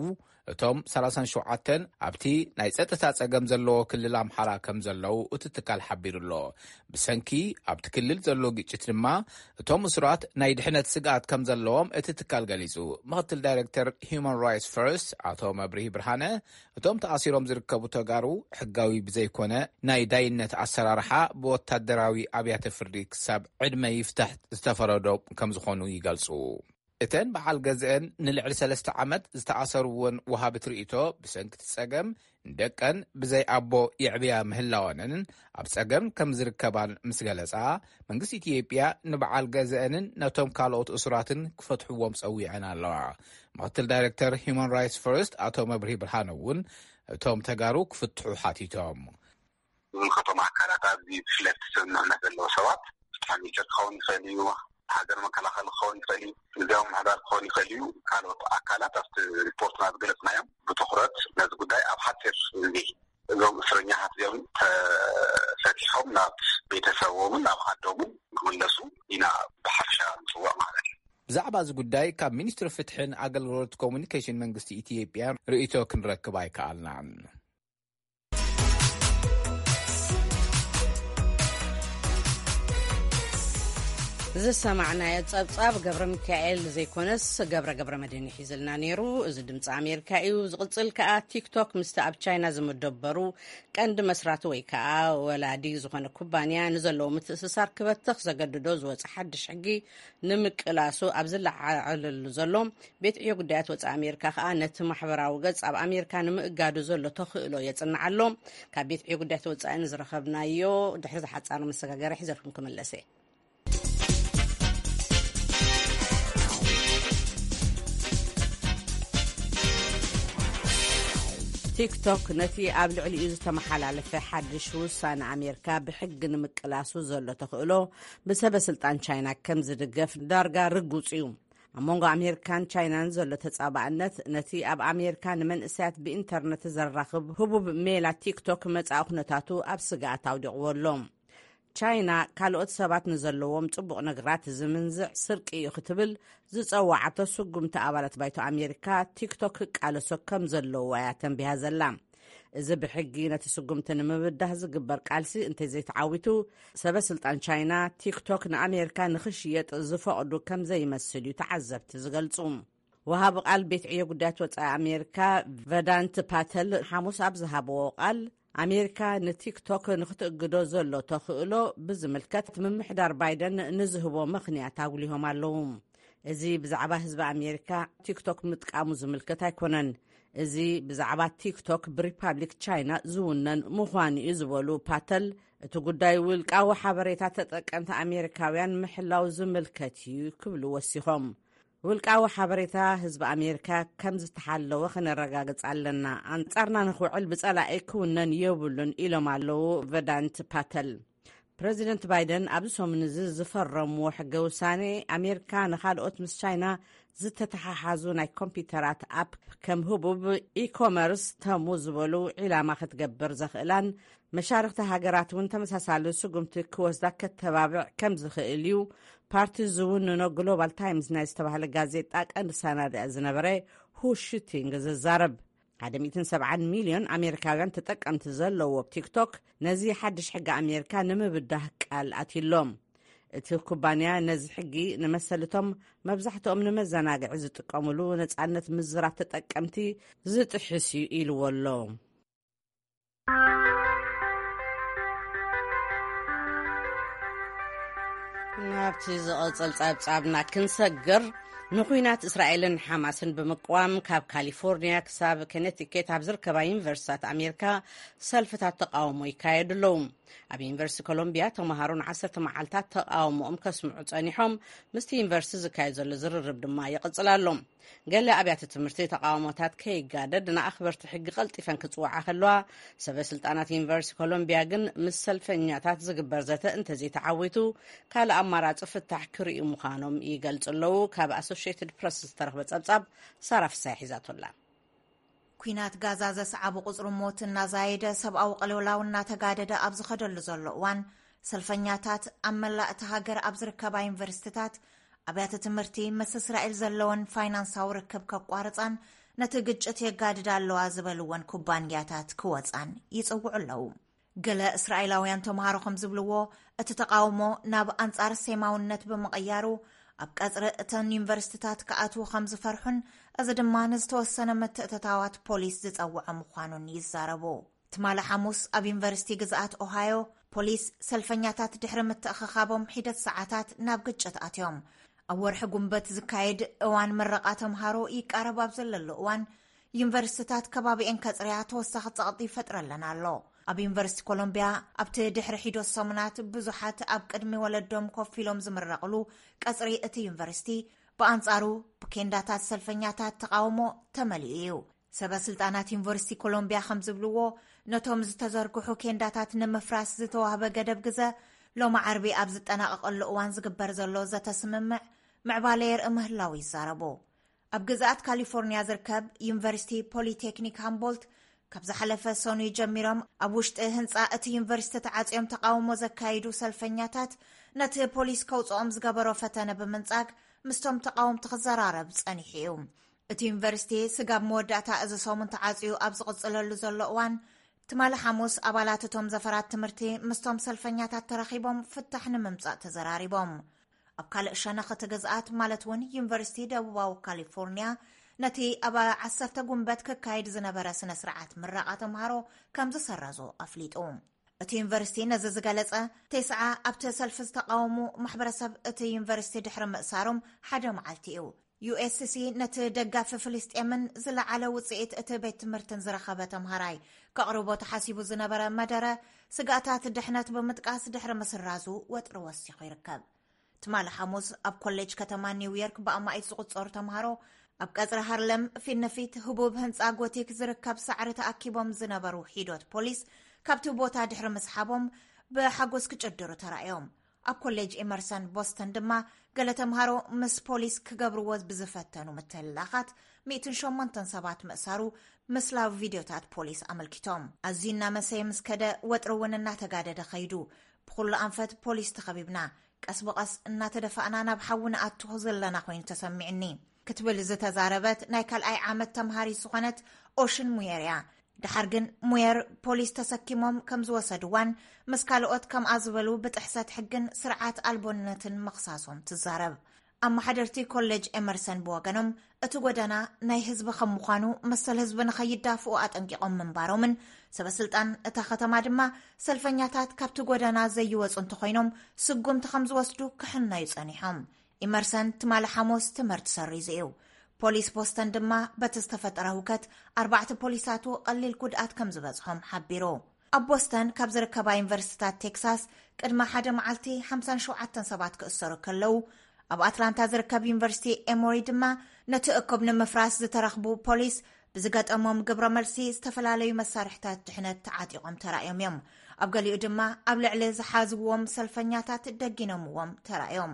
እቶም ሰላሳን ሸውዓተን ኣብቲ ናይ ጸጥታ ጸገም ዘለዎ ክልል ኣምሓራ ከም ዘለዉ እቲ ትካል ሓቢሩ ኣሎ። ብሰንኪ ኣብቲ ክልል ዘሎ ግጭት ድማ እቶም እሱራት ናይ ድሕነት ስግኣት ከም ዘለዎም እቲ ትካል ገሊጹ። ምኽትል ዳይሬክተር ሂዩማን ራይትስ ፈርስት ኣቶ መብርሂ ብርሃነ፣ እቶም ተኣሲሮም ዝርከቡ ተጋሩ ሕጋዊ ብዘይኮነ ናይ ዳይነት ኣሰራርሓ ብወታደራዊ ኣብያተ ፍርዲ ክሳብ ዕድመ ይፍታሕ ዝተፈረዶም ከም ዝኾኑ ይገልጹ። እተን በዓል ገዝአን ንልዕሊ ሰለስተ ዓመት ዝተኣሰርወን ወሃብት ርእይቶ፣ ብሰንኪ እቲ ጸገም ንደቀን ብዘይ ኣቦ የዕብያ ምህላወንን ኣብ ጸገም ከም ዝርከባን ምስ ገለጻ፣ መንግስቲ ኢትዮጵያ ንበዓል ገዝአንን ነቶም ካልኦት እሱራትን ክፈትሕዎም ጸዊዐን ኣለዋ። ምኽትል ዳይሬክተር ሂዩማን ራይትስ ፈርስት ኣቶ መብርሂ ብርሃነ እውን እቶም ተጋሩ ክፍትሑ ሓቲቶም። ዝምልከቶም ኣካላት፣ ኣብዚ ብፍላይ እቲ ስምምዕነት ዘለዎ ሰባት፣ ፍትሒ ሚኒስተር ክኸውን ይኽእል እዩ፣ ሃገር መከላኸሊ ክኸውን ይኽእል እዩ፣ ግዝያዊ ምምሕዳር ክኸውን ይኽእል እዩ፣ ካልኦት ኣካላት ኣብቲ ሪፖርትና ዝገለጽናዮም ብትኹረት ነዚ ጉዳይ ኣብ ሓፂር ግዜ እዞም እስረኛታት እዚኦም ተፈቲሖም ናብ ቤተሰቦምን ናብ ዓዶምን ክምለሱ ኢና ብሓፈሻ ንፅውዕ ማለት እዩ። ብዛዕባ እዚ ጉዳይ ካብ ሚኒስትሪ ፍትሕን ኣገልግሎት ኮሙኒኬሽን መንግስቲ ኢትዮጵያ ርእይቶ ክንረክብ ኣይከኣልናን። ዝሰማዕናዮ ጸብጻብ ገብረ ሚካኤል ዘይኮነስ ገብረ ገብረ መድህን ሒዝልና ነይሩ። እዚ ድምፂ ኣሜሪካ እዩ። ዝቕጽል ከኣ ቲክቶክ ምስቲ ኣብ ቻይና ዝመደበሩ ቀንዲ መስራቲ ወይ ከኣ ወላዲ ዝኾነ ኩባንያ ንዘለዎ ምትእስሳር ክበትኽ ዘገድዶ ዝወፀ ሓድሽ ሕጊ ንምቅላሱ ኣብ ዝለዓዓለሉ ዘሎ ቤት ዕዮ ጉዳያት ወፃኢ ኣሜሪካ ከኣ ነቲ ማሕበራዊ ገጽ ኣብ ኣሜሪካ ንምእጋዱ ዘሎ ተኽእሎ የጽንዕ ኣሎ። ካብ ቤት ዕዮ ጉዳያት ወፃኢ ንዝረኸብናዮ ድሕሪ ዝሓጻር መሰጋገሪ ሒዘልኩም ክምለስ እየ። ቲክቶክ ነቲ ኣብ ልዕሊኡ ዝተመሓላለፈ ሓድሽ ውሳነ ኣሜሪካ ብሕጊ ንምቅላሱ ዘሎ ተኽእሎ ብሰበ ስልጣን ቻይና ከም ዝድገፍ ዳርጋ ርጉጽ እዩ። ኣብ መንጎ ኣሜሪካን ቻይናን ዘሎ ተጻባእነት ነቲ ኣብ ኣሜሪካ ንመንእሰያት ብኢንተርነት ዘራኽብ ህቡብ ሜላ ቲክቶክ መጻኢ ኩነታቱ ኣብ ስግኣት ኣውዲቕዎ ኣሎ። ቻይና ካልኦት ሰባት ንዘለዎም ጽቡቕ ነገራት ዝምንዝዕ ስርቂ እዩ ክትብል ዝጸዋዓቶ ስጉምቲ ኣባላት ባይቶ ኣሜሪካ ቲክቶክ ክቃለሶ ከም ዘለዎ እያ ተንቢሃ ዘላ። እዚ ብሕጊ ነቲ ስጉምቲ ንምብዳህ ዝግበር ቃልሲ እንተዘይተዓዊቱ፣ ሰበ ስልጣን ቻይና ቲክቶክ ንኣሜሪካ ንኽሽየጥ ዝፈቕዱ ከም ዘይመስል እዩ ተዓዘብቲ ዝገልጹ። ወሃቢ ቃል ቤት ዕዮ ጉዳያት ወጻኢ ኣሜሪካ ቨዳንት ፓተል ሓሙስ ኣብ ዝሃብዎ ቃል፣ ኣሜሪካ ንቲክቶክ ንክትእግዶ ዘሎ ተኽእሎ ብዝምልከት ምምሕዳር ባይደን ንዝህቦ ምኽንያት ኣጉሊሆም ኣለዉ። እዚ ብዛዕባ ህዝቢ ኣሜሪካ ቲክቶክ ምጥቃሙ ዝምልከት ኣይኮነን። እዚ ብዛዕባ ቲክቶክ ብሪፓብሊክ ቻይና ዝውነን ምዃኑ እዩ ዝበሉ ፓተል፣ እቲ ጉዳይ ውልቃዊ ሓበሬታ ተጠቀምቲ ኣሜሪካውያን ምሕላው ዝምልከት እዩ ክብሉ ወሲኾም። ውልቃዊ ሓበሬታ ህዝቢ ኣሜሪካ ከም ዝተሓለወ ከነረጋግጽ ኣለና። ኣንጻርና ንኽውዕል ብጸላኢ ክውነን የብሉን ኢሎም ኣለዉ ቨዳንት ፓተል። ፕረዚደንት ባይደን ኣብዚ ሰሙን እዚ ዝፈረምዎ ሕገ ውሳኔ ኣሜሪካ ንኻልኦት ምስ ቻይና ዝተተሓሓዙ ናይ ኮምፒውተራት ኣፕ ከም ህቡብ ኢኮመርስ ተሙ ዝበሉ ዒላማ ክትገብር ዘኽእላን መሻርኽቲ ሃገራት እውን ተመሳሳሊ ስጉምቲ ክወስዳ ከተባብዕ ከም ዝኽእል እዩ ፓርቲ ዝውንኖ ግሎባል ታይምስ ናይ ዝተባህለ ጋዜጣ ቀንዲ ሰናዳኢ ዝነበረ ሁ ሽቲንግ ዝዛረብ። ሓደ ሚእትን ሰብዓን ሚልዮን ኣሜሪካውያን ተጠቀምቲ ዘለዎ ቲክቶክ ነዚ ሓድሽ ሕጊ ኣሜሪካ ንምብዳህ ቃል ኣትዩሎም። እቲ ኩባንያ ነዚ ሕጊ ንመሰልቶም መብዛሕትኦም ንመዘናግዒ ዝጥቀምሉ ነጻነት ምዝራብ ተጠቀምቲ ዝጥሕስ እዩ ኢልዎ ኣሎ። ናብቲ ዝቕጽል ጸብጻብና ክንሰግር፣ ንኹናት እስራኤልን ሓማስን ብምቅዋም ካብ ካሊፎርኒያ ክሳብ ኮነቲኬት ኣብ ዝርከባ ዩኒቨርሲታት ኣሜሪካ ሰልፍታት ተቃውሞ ይካየዱ ኣለዉ። ኣብ ዩኒቨርሲቲ ኮሎምቢያ ተምሃሮ ንዓሰርተ መዓልታት ተቃውሞኦም ከስምዑ ጸኒሖም፣ ምስቲ ዩኒቨርሲቲ ዝካየድ ዘሎ ዝርርብ ድማ ይቕጽል ኣሎ። ገለ ኣብያተ ትምህርቲ ተቃውሞታት ከይጋደድ ንኣኽበርቲ ሕጊ ቀልጢፈን ክጽውዓ ከለዋ፣ ሰበ ስልጣናት ዩኒቨርሲቲ ኮሎምቢያ ግን ምስ ሰልፈኛታት ዝግበር ዘተ እንተዘይተዓዊቱ ካልእ ኣማራጺ ፍታሕ ክርእዩ ምዃኖም ይገልጹ ኣለዉ። ካብ ኣሶሽየትድ ፕረስ ዝተረኽበ ጸብጻብ ሳራ ፍሳይ ሒዛቶላ። ኲናት ጋዛ ዘስዓቡ ቁጽሪ ሞት እናዛየደ፣ ሰብኣዊ ቅልውላው እናተጋደደ ኣብ ዝኸደሉ ዘሎ እዋን፣ ሰልፈኛታት ኣብ መላእ እታ ሃገር ኣብ ዝርከባ ዩኒቨርሲቲታት፣ ኣብያተ ትምህርቲ ምስ እስራኤል ዘለወን ፋይናንሳዊ ርክብ ከቋርጻን ነቲ ግጭት የጋድዳ ኣለዋ ዝበልወን ኩባንያታት ክወጻን ይጽውዑ ኣለዉ። ገለ እስራኤላውያን ተምሃሮ ከም ዝብልዎ፣ እቲ ተቃውሞ ናብ ኣንጻር ሴማውነት ብምቕያሩ፣ ኣብ ቀጽሪ እተን ዩኒቨርሲቲታት ክኣትዉ ከም ዝፈርሑን፣ እዚ ድማ ንዝተወሰነ ምትእትታዋት ፖሊስ ዝጸውዐ ምዃኑን ይዛረቡ። ትማሊ ሓሙስ ኣብ ዩኒቨርሲቲ ግዝኣት ኦሃዮ፣ ፖሊስ ሰልፈኛታት ድሕሪ ምትእኽኻቦም ሒደት ሰዓታት ናብ ግጭት ኣትዮም። ኣብ ወርሒ ጉንበት ዝካየድ እዋን ምረቓ ተምሃሮ ይቃረብ ኣብ ዘለሉ እዋን፣ ዩኒቨርሲቲታት ከባቢኤን ከጽርያ ተወሳኺ ጸቕጢ ይፈጥረለን ኣሎ። ኣብ ዩኒቨርሲቲ ኮሎምቢያ ኣብቲ ድሕሪ ሒደት ሰሙናት ብዙሓት ኣብ ቅድሚ ወለዶም ኮፍ ኢሎም ዝምረቕሉ ቀጽሪ እቲ ዩኒቨርሲቲ ብኣንጻሩ ብኬንዳታት ሰልፈኛታት ተቃውሞ ተመሊኡ እዩ። ሰበ ስልጣናት ዩኒቨርሲቲ ኮሎምቢያ ከም ዝብልዎ፣ ነቶም ዝተዘርግሑ ኬንዳታት ንምፍራስ ዝተዋህበ ገደብ ግዘ ሎሚ ዓርቢ ኣብ ዝጠናቐቐሉ እዋን ዝግበር ዘሎ ዘተ ስምምዕ ምዕባለ የርኢ ምህላው ይዛረቡ። ኣብ ግዝኣት ካሊፎርኒያ ዝርከብ ዩኒቨርሲቲ ፖሊቴክኒክ ሃምቦልት፣ ካብ ዝሓለፈ ሰኑይ ጀሚሮም ኣብ ውሽጢ ህንጻ እቲ ዩኒቨርሲቲ ተዓጽዮም ተቃውሞ ዘካይዱ ሰልፈኛታት፣ ነቲ ፖሊስ ከውጽኦም ዝገበሮ ፈተነ ብምንጻግ ምስቶም ተቃወምቲ ክዘራረብ ጸኒሑ እዩ። እቲ ዩኒቨርሲቲ ስጋብ መወዳእታ እዚ ሰሙን ተዓጽዩ ኣብ ዝቕጽለሉ ዘሎ እዋን፣ ትማሊ ሓሙስ ኣባላት እቶም ዘፈራት ትምህርቲ ምስቶም ሰልፈኛታት ተራኺቦም ፍታሕ ንምምጻእ ተዘራሪቦም። ኣብ ካልእ ሸነኽ እቲ ግዝኣት፣ ማለት እውን ዩኒቨርሲቲ ደቡባዊ ካሊፎርኒያ፣ ነቲ ኣብ ዓሰርተ ጉንበት ክካየድ ዝነበረ ስነ ስርዓት ምረቓ ተምሃሮ ከም ዝሰረዞ ኣፍሊጡ። እቲ ዩኒቨርሲቲ ነዚ ዝገለጸ፣ ቴስዓ ኣብቲ ሰልፊ ዝተቃወሙ ማሕበረሰብ እቲ ዩኒቨርሲቲ ድሕሪ ምእሳሮም ሓደ መዓልቲ እዩ። ዩ ኤስ ሲ ነቲ ደጋፊ ፍልስጤምን ዝለዓለ ውጽኢት እቲ ቤት ትምህርትን ዝረኸበ ተምሃራይ ከቕርቦ ተሓሲቡ ዝነበረ መደረ፣ ስግኣታት ድሕነት ብምጥቃስ ድሕሪ ምስራዙ ወጥሪ ወሲኹ ይርከብ። ትማሊ ሓሙስ ኣብ ኮሌጅ ከተማ ኒውዮርክ ብኣማኢት ዝቑጸሩ ተምሃሮ ኣብ ቀጽሪ ሃርለም ፊት ንፊት ህቡብ ህንጻ ጎቲክ ዝርከብ ሳዕሪ ተኣኪቦም ዝነበሩ ሒዶት ፖሊስ ካብቲ ቦታ ድሕሪ ምስሓቦም ብሓጎስ ክጭድሩ ተራእዮም። ኣብ ኮሌጅ ኤመርሰን ቦስተን ድማ ገለ ተምሃሮ ምስ ፖሊስ ክገብርዎ ብዝፈተኑ ምትህልላኻት ሚእትን ሸሞንተን ሰባት ምእሳሩ ምስላዊ ቪድዮታት ፖሊስ ኣመልኪቶም። ኣዝዩ እናመሰየ ምስ ከደ ወጥሪ እውን እናተጋደደ ኸይዱ። ብኹሉ ኣንፈት ፖሊስ ተኸቢብና፣ ቀስ ብቐስ እናተደፋእና ናብ ሓዊ ንኣቱ ዘለና ኮይኑ ተሰሚዕኒ ክትብል ዝተዛረበት ናይ ካልኣይ ዓመት ተምሃሪት ዝኾነት ኦሽን ሙየር እያ። ደሓር ግን ሙየር ፖሊስ ተሰኪሞም ከም ዝወሰድዋን ምስ ካልኦት ከምኣ ዝበሉ ብጥሕሰት ሕግን ስርዓት ኣልቦነትን ምኽሳሶም ትዛረብ። ኣመሓደርቲ ኮሌጅ ኤመርሰን ብወገኖም፣ እቲ ጎደና ናይ ህዝቢ ከም ምዃኑ መሰል ህዝቢ ንኸይዳፍኡ ኣጠንቂቖም ምንባሮምን ሰበ ስልጣን እታ ከተማ ድማ ሰልፈኛታት ካብቲ ጎደና ዘይወጹ እንተኾይኖም ስጉምቲ ከም ዝወስዱ ክሕነዩ ጸኒሖም። ኢመርሰን ትማሊ ሓሙስ ትምህርቲ ሰሪዙ እዩ። ፖሊስ ቦስተን ድማ በቲ ዝተፈጠረ ህውከት ኣርባዕተ ፖሊሳቱ ቀሊል ጉድኣት ከም ዝበጽሖም ሓቢሩ። ኣብ ቦስተን ካብ ዝርከባ ዩኒቨርሲቲታት ቴክሳስ ቅድሚ ሓደ መዓልቲ ሓምሳን ሸውዓተን ሰባት ክእሰሩ ከለዉ፣ ኣብ ኣትላንታ ዝርከብ ዩኒቨርሲቲ ኤሞሪ ድማ ነቲ እኩብ ንምፍራስ ዝተረኽቡ ፖሊስ ብዝገጠሞም ግብረ መልሲ ዝተፈላለዩ መሳርሕታት ድሕነት ተዓጢቖም ተራእዮም እዮም። ኣብ ገሊኡ ድማ ኣብ ልዕሊ ዝሓዝዎም ሰልፈኛታት ደጊኖምዎም ተራእዮም።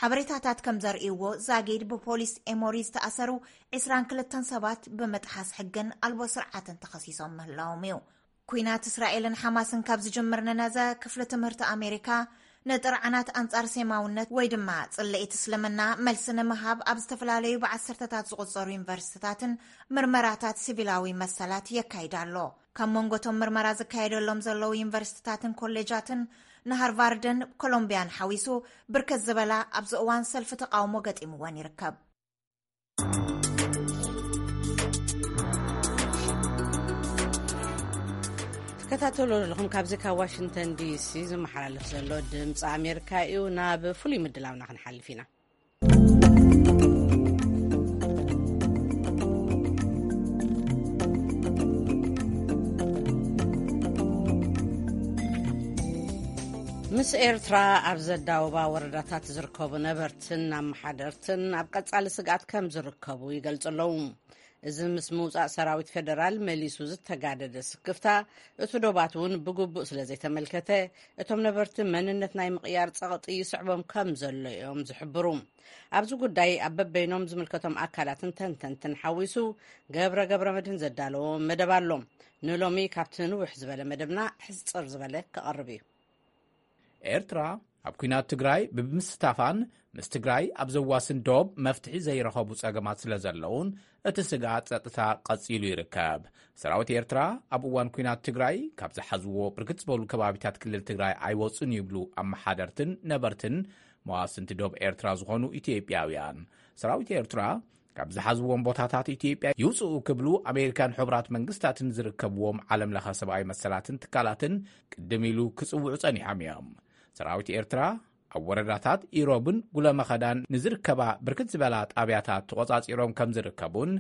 ሓበሬታታት ከም ዘርእይዎ፣ ዛጊድ ብፖሊስ ኤሞሪ ዝተኣሰሩ ዕስራን ክልተን ሰባት ብምጥሓስ ሕግን ኣልቦ ስርዓትን ተኸሲሶም ምህላዎም እዩ። ኲናት እስራኤልን ሓማስን ካብ ዝጅምር ንነዘ፣ ክፍሊ ትምህርቲ ኣሜሪካ ንጥርዓናት ኣንጻር ሴማውነት ወይ ድማ ጽልኢት እስልምና መልሲ ንምሃብ ኣብ ዝተፈላለዩ ብዓሰርተታት ዝቑጸሩ ዩኒቨርሲቲታትን ምርመራታት ሲቪላዊ መሰላት የካይድ ኣሎ። ካብ መንጎቶም ምርመራ ዝካየደሎም ዘለዉ ዩኒቨርሲቲታትን ኮሌጃትን ንሃርቫርድን ኮሎምቢያን ሓዊሱ ብርክት ዝበላ ኣብዚ እዋን ሰልፊ ተቃውሞ ገጢምወን ይርከብ። ትከታተሉ ኣለኹም። ካብዚ ካብ ዋሽንግተን ዲሲ ዝመሓላለፍ ዘሎ ድምፂ ኣሜሪካ እዩ። ናብ ፍሉይ ምድላውና ክንሓልፍ ኢና። ምስ ኤርትራ ኣብ ዘዳወባ ወረዳታት ዝርከቡ ነበርትን ኣመሓደርትን ኣብ ቀጻሊ ስግኣት ከም ዝርከቡ ይገልጹ ኣለዉ። እዚ ምስ ምውጻእ ሰራዊት ፌደራል መሊሱ ዝተጋደደ ስክፍታ፣ እቲ ዶባት እውን ብግቡእ ስለ ዘይተመልከተ፣ እቶም ነበርቲ መንነት ናይ ምቕያር ጸቕጢ ይስዕቦም ከም ዘሎ እዮም ዝሕብሩ። ኣብዚ ጉዳይ ኣብ በበይኖም ዝምልከቶም ኣካላትን ተንተንትን ሓዊሱ ገብረ ገብረ መድህን ዘዳለዎ መደብ ኣሎ። ንሎሚ ካብቲ ንውሕ ዝበለ መደብና ሕጽር ዝበለ ክቐርብ እዩ። ኤርትራ ኣብ ኲናት ትግራይ ብምስታፋን ምስ ትግራይ ኣብ ዘዋስን ዶብ መፍትሒ ዘይረኸቡ ጸገማት ስለ ዘለውን እቲ ስግኣት ጸጥታ ቀጺሉ ይርከብ። ሰራዊት ኤርትራ ኣብ እዋን ኲናት ትግራይ ካብ ዝሓዝዎ ብርክት ዝበሉ ከባቢታት ክልል ትግራይ ኣይወጹን ይብሉ ኣመሓደርትን ነበርትን መዋስንቲ ዶብ ኤርትራ ዝኾኑ ኢትዮጵያውያን። ሰራዊት ኤርትራ ካብ ዝሓዝዎም ቦታታት ኢትዮጵያ ይውፅኡ ክብሉ ኣሜሪካን ሕቡራት መንግስታትን ዝርከብዎም ዓለም ለኸ ሰብኣዊ መሰላትን ትካላትን ቅድም ኢሉ ክፅውዑ ፀኒሖም እዮም። ሰራዊት ኤርትራ ኣብ ወረዳታት ኢሮብን ጉለመኸዳን ንዝርከባ ብርክት ዝበላ ጣብያታት ተቖፃፂሮም ከም ዝርከቡን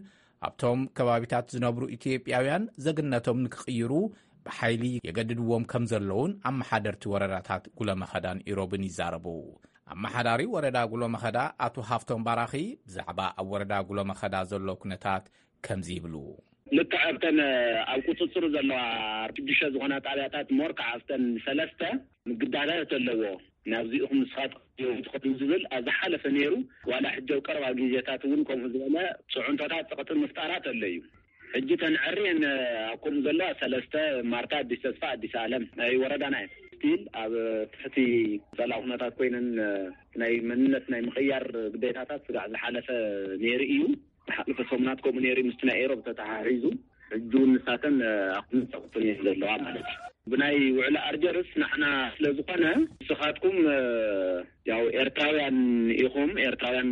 ኣብቶም ከባቢታት ዝነብሩ ኢትዮጵያውያን ዘግነቶም ንክቕይሩ ብሓይሊ የገድድዎም ከም ዘለውን ኣመሓደርቲ ወረዳታት ጉለመኸዳን ኢሮብን ይዛረቡ። ኣመሓዳሪ ወረዳ ጉሎመኸዳ ኣቶ ሃፍቶም ባራኺ ብዛዕባ ኣብ ወረዳ ጉሎመኸዳ ዘሎ ኩነታት ከምዚ ይብሉ። ልክዕ ኣብተን ኣብ ቁፅፅሩ ዘለዋ ሽዱሽተ ዝኾና ጣብያታት ሞር ከዓ ኣብተን ሰለስተ ምግዳላት ኣለዎ። ናብዚኡኹም ንስኻትኩም ትኸዱ ዝብል ኣብ ዝሓለፈ ነይሩ። ዋላ ሕጂ ኣብ ቀረባ ግዜታት እውን ከምኡ ዝበለ ፅዕንቶታት ፀቕጢ ምፍጣራት ኣሎ እዩ። ሕጂ ተንዕሪ ኣብ ከምኡ ዘለዋ ሰለስተ ማርታ፣ ኣዲስ ተስፋ፣ ኣዲስ ኣለም ናይ ወረዳና እየን። ስቲል ኣብ ትሕቲ ጸላ ኩነታት ኮይነን ናይ መንነት ናይ ምቕያር ግዴታታት ስጋዕ ዝሓለፈ ነይሩ እዩ። ዝሓለፈ ሰሙናት ከምኡ ነይሩ ምስቲ ናይ ኤሮብ ተተሓሒዙ ሕጂ እውን ንሳተን ኣብ ኩነታት እየን ዘለዋ ማለት እዩ። ብናይ ውዕሊ ኣርጀርስ ንሕና ስለ ዝኾነ ንስኻትኩም ያው ኤርትራውያን ኢኹም፣ ኤርትራውያን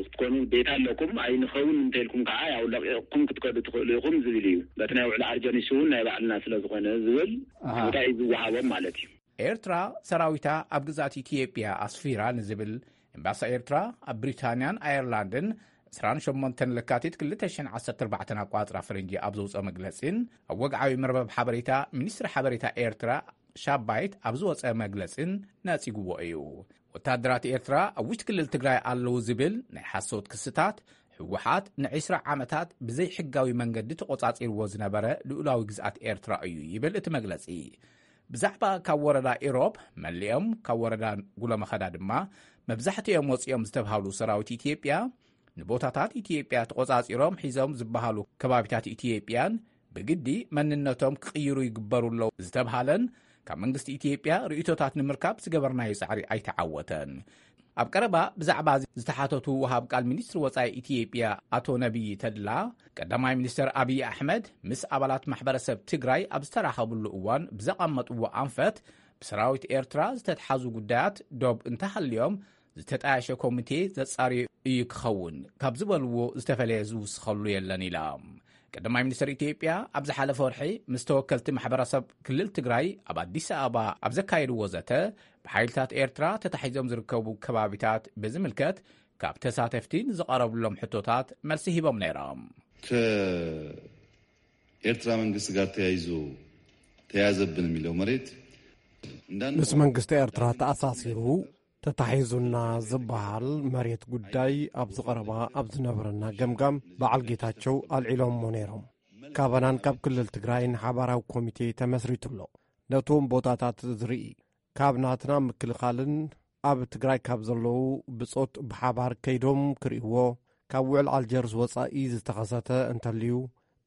ክትኮኑ ግዴታ ኣለኩም፣ ኣይንኸውን እንተልኩም ከዓ ያው ለቂቕኩም ክትከዱ ትኽእሉ ኢኹም ዝብል እዩ። በቲ ናይ ውዕሊ ኣርጀኒስ እውን ናይ ባዕልና ስለ ዝኾነ ዝብል ኣሃ። ቦታ እዩ ዝወሃቦም ማለት እዩ። ኤርትራ ሰራዊታ ኣብ ግዝኣት ኢትዮጵያ ኣስፊራ ንዝብል ኤምባሲ ኤርትራ ኣብ ብሪታንያን ኣየርላንድን ዕስራን ሸሞንተን ለካቲት ክልተ ሽሕን ዓሰርተ ኣርባዕተን ኣቋጽራ ፈረንጂ ኣብ ዘውፅኦ መግለጺን ኣብ ወግዓዊ መርበብ ሓበሬታ ሚኒስትሪ ሓበሬታ ኤርትራ ሻባይት ኣብ ዝወፀ መግለጽን ነጺግዎ እዩ። ወታደራት ኤርትራ ኣብ ውሽጢ ክልል ትግራይ ኣለዉ ዝብል ናይ ሓሶት ክስታት፣ ህወሓት ንዒስራ ዓመታት ብዘይሕጋዊ መንገዲ ተቖጻጺርዎ ዝነበረ ልኡላዊ ግዝኣት ኤርትራ እዩ ይብል እቲ መግለጺ። ብዛዕባ ካብ ወረዳ ኢሮብ መሊኦም ካብ ወረዳ ጉሎመኸዳ ድማ መብዛሕትኦም ወፂኦም ዝተብሃሉ ሰራዊት ኢትዮጵያ ንቦታታት ኢትዮጵያ ተቖጻጺሮም ሒዞም ዝበሃሉ ከባቢታት ኢትዮጵያን ብግዲ መንነቶም ክቕይሩ ይግበሩ ኣለዉ ዝተብሃለን ካብ መንግስቲ ኢትዮጵያ ርእይቶታት ንምርካብ ዝገበርናዮ ጻዕሪ ኣይተዓወተን። ኣብ ቀረባ ብዛዕባ እዚ ዝተሓተቱ ወሃብ ቃል ሚኒስትሪ ወጻኢ ኢትዮጵያ ኣቶ ነቢይ ተድላ፣ ቀዳማይ ሚኒስትር ኣብይ ኣሕመድ ምስ ኣባላት ማሕበረሰብ ትግራይ ኣብ ዝተራኸብሉ እዋን ብዘቐመጥዎ ኣንፈት ብሰራዊት ኤርትራ ዝተትሓዙ ጉዳያት ዶብ እንተሃልዮም ዝተጣየሸ ኮሚቴ ዘጻርዮ እዩ ክኸውን ካብ ዝበልዎ ዝተፈለየ ዝውስኸሉ የለን ኢሎም። ቀዳማይ ሚኒስትር ኢትዮጵያ ኣብ ዝሓለፈ ወርሒ ምስ ተወከልቲ ማሕበረሰብ ክልል ትግራይ ኣብ ኣዲስ ኣበባ ኣብ ዘካየድዎ ዘተ ብሓይልታት ኤርትራ ተታሒዞም ዝርከቡ ከባቢታት ብዝምልከት ካብ ተሳተፍቲ ንዝቐረብሎም ሕቶታት መልሲ ሂቦም ነይሮም። ከኤርትራ መንግስት ጋር ተያይዞ ተያዘብን የሚለው መሬት እንዳን ምስ መንግስቲ ኤርትራ ተኣሳሲሩ ተታሒዙና ዝበሃል መሬት ጉዳይ ኣብዚ ቀረባ ኣብ ዝነበረና ገምጋም በዓል ጌታቸው ኣልዒሎሞ ነይሮም። ካባናን ካብ ክልል ትግራይን ሓባራዊ ኮሚቴ ተመስሪቱ ኣሎ። ነቶም ቦታታት ዝርኢ ካብ ናትና ምክልኻልን ኣብ ትግራይ ካብ ዘለዉ ብጾት ብሓባር ከይዶም ክርእይዎ ካብ ውዕል ኣልጀርስ ወጻኢ ዝተኸሰተ እንተልዩ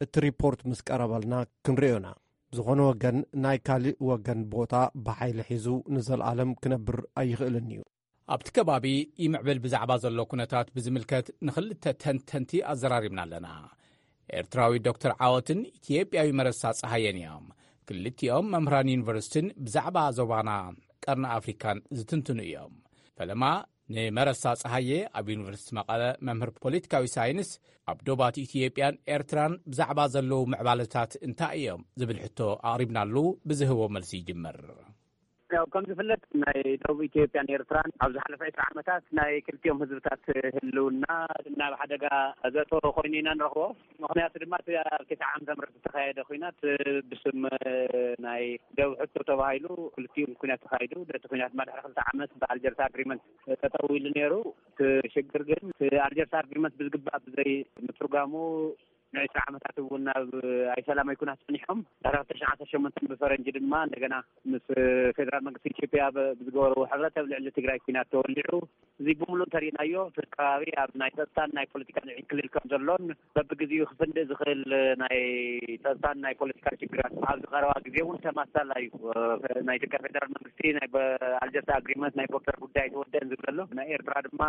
እቲ ሪፖርት ምስ ቀረበልና ክንርእዮና። ዝኾነ ወገን ናይ ካልእ ወገን ቦታ ብሓይሊ ሒዙ ንዘለኣለም ክነብር ኣይኽእልን እዩ። ኣብቲ ከባቢ ይምዕብል ብዛዕባ ዘሎ ኩነታት ብዝምልከት ንኽልተ ተንተንቲ ኣዘራሪብና ኣለና። ኤርትራዊ ዶክተር ዓወትን ኢትዮጵያዊ መረሳ ጸሃየን እዮም። ክልቲኦም መምህራን ዩኒቨርሲቲን ብዛዕባ ዞባና ቀርኒ ኣፍሪካን ዝትንትኑ እዮም። ፈለማ ንመረሳ ጸሃየ ኣብ ዩኒቨርሲቲ መቐለ መምህር ፖለቲካዊ ሳይንስ ኣብ ዶባት ኢትዮጵያን ኤርትራን ብዛዕባ ዘለዉ ምዕባለታት እንታይ እዮም ዝብል ሕቶ ኣቕሪብናሉ ብዝህቦ መልሲ ይጅምር። ያው ከም ዝፍለጥ ናይ ደቡብ ኢትዮጵያን ኤርትራን ኣብ ዝሓለፈ ዕስራ ዓመታት ናይ ክልቲኦም ህዝብታት ህልውና ናብ ሓደጋ ዘእተወ ኮይኑ ኢና ንረኽቦ። ምኽንያቱ ድማ እቲ ኣብ ክልተ ዓመተ ምህረት ዝተኻየደ ኲናት ብስም ናይ ደቡብ ሕቶ ተባሂሉ ክልቲኡ ኲናት ተኻይዱ። እቲ ኲናት ድማ ድሕሪ ክልተ ዓመት ብኣልጀርስ ኣግሪመንት ጠጠው ኢሉ ነይሩ። እቲ ሽግር ግን እቲ ኣልጀርስ ኣግሪመንት ብዝግባእ ብዘይ ምትርጓሙ ንዕስራ ዓመታት እውን ኣብ ኣይሰላማይ ኩናት ጸኒሖም። ድሕሪ ክልተ ሽሕን ዓሰርተ ሸሞንተን ብፈረንጂ ድማ እንደገና ምስ ፌደራል መንግስቲ ኢትዮጵያ ብ- ብዝገበርዎ ሕብረት ኣብ ልዕሊ ትግራይ ኩናት ተወሊዑ። እዚ ብምሉእ እንተሪእናዮ እቲ ከባቢ ኣብ ናይ ጸጥታን ናይ ፖለቲካን ዕንክሊል ከም ዘሎን በብግዜኡ ክፍንድእ ዝኽእል ናይ ጸጥታን ናይ ፖለቲካን ሽግራት ኣብዚ ቀረባ ግዜ እውን ተማሳላ እዩ። ናይ ኢትዮጵያ ፌደራል መንግስቲ ናይ በ- ኣልጀርስ ኣግሪመንት ናይ ቦርደር ጉዳይ ተወደአን ዝብለሎ ናይ ኤርትራ ድማ